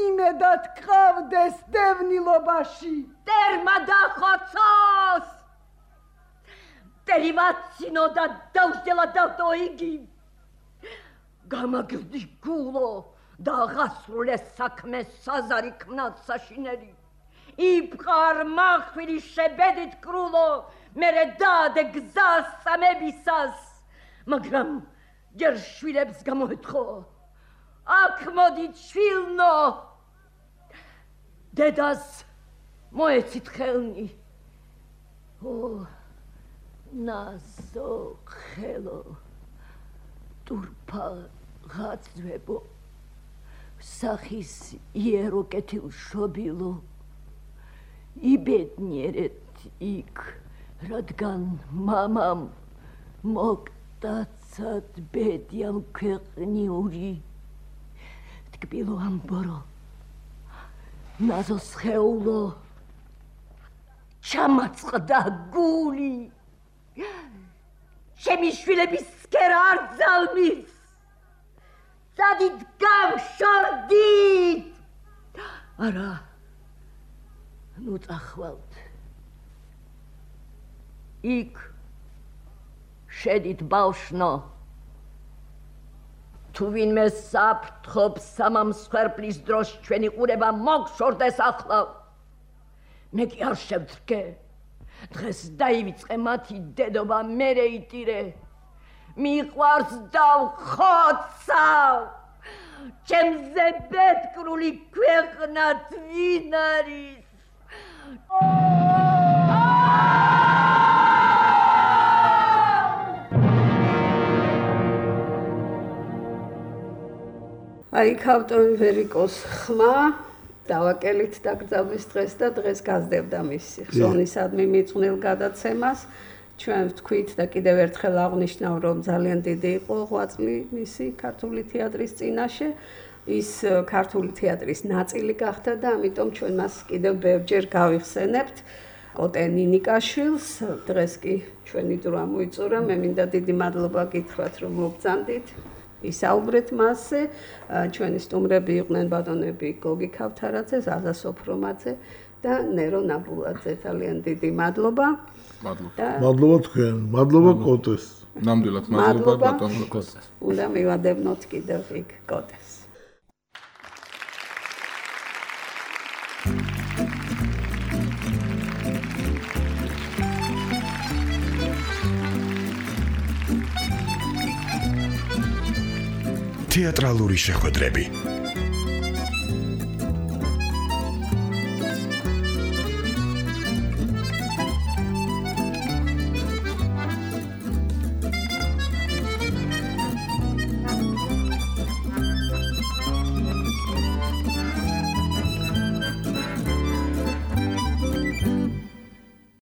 იმედად ყავდეს დევნილობაში. ტერმა დახოცოს! ტერიმაცინო და დავждела დავტო იგი. გამაგრდი გულო და აღასრულე საქმე საზარი ქმნად საშინელი. იფყარ მახვილი შებედით კრულო, მერე დადე გზას სამებისას. მაგრამ ჯერ შვილებს გამოეთხო, აქ მოდით შვილნო, დედას მოეცით ხელნი. ო, ნაზო ხელო, ტურფა ღაწვებო სახის იერო კეთილშობილო იბედნიერეთ იქ რადგან მამამ მოკტაცად ბედიამ ქვეყნიური ტკბილო ამბორო ნაზოს ხეულო ჩამაწყდა გული ჩემი შვილების სქერა არ ძალმის სადით გამშორდით არა ნუ წახვალთ იქ შედით ბავშვო თუ ვინმე საფრთხობს სამამსხვერპლის დროს ჩვენი ყურება მოგშორდეს ახლა მე კი არ შევდრგე დღეს დაივიწყე მათი დედობა მერე იტირე მიყვარს დავხოცავ ჩემზე ბედკრული ქვეყნად ვინ არის აი ქავტონი ვერიკოს ხმა დავაკელით დაკრძალვის დღეს და დღეს გაზრდებდა მისი ხსოვნისადმი მიწვნილ გადაცემას ჩვენ ვთქვით და კიდევ ერთხელ აღვნიშნავ რომ ძალიან დიდი იყო ღვაწლი მისი ქართული თეატრის წინაშე ის ქართული თეატრის ნაწილი გახდა და ამიტომ ჩვენ მას კიდევ ბევრჯერ გავიხსენებთ კოტე ნინიკაშვილს დღეს კი ჩვენი დრო ამოიწურა მე მინდა დიდი მადლობა გითხრათ რომ მოგწანდით ისაუბრეთ მასზე ჩვენი სტუმრები იყვნენ ბატონები გოგი ქავთარაძე ზაზა სოფრომაძე და ნერო ნაბულაძე ძალიან დიდი მადლობა მადლობა მადლობა თქვენ მადლობა კოტეს ნამდვილად მადლობა ბატონ კოტეს უნდა მივადებნოთ კიდევ იქ კოტეს თეატრალური შეხვედრები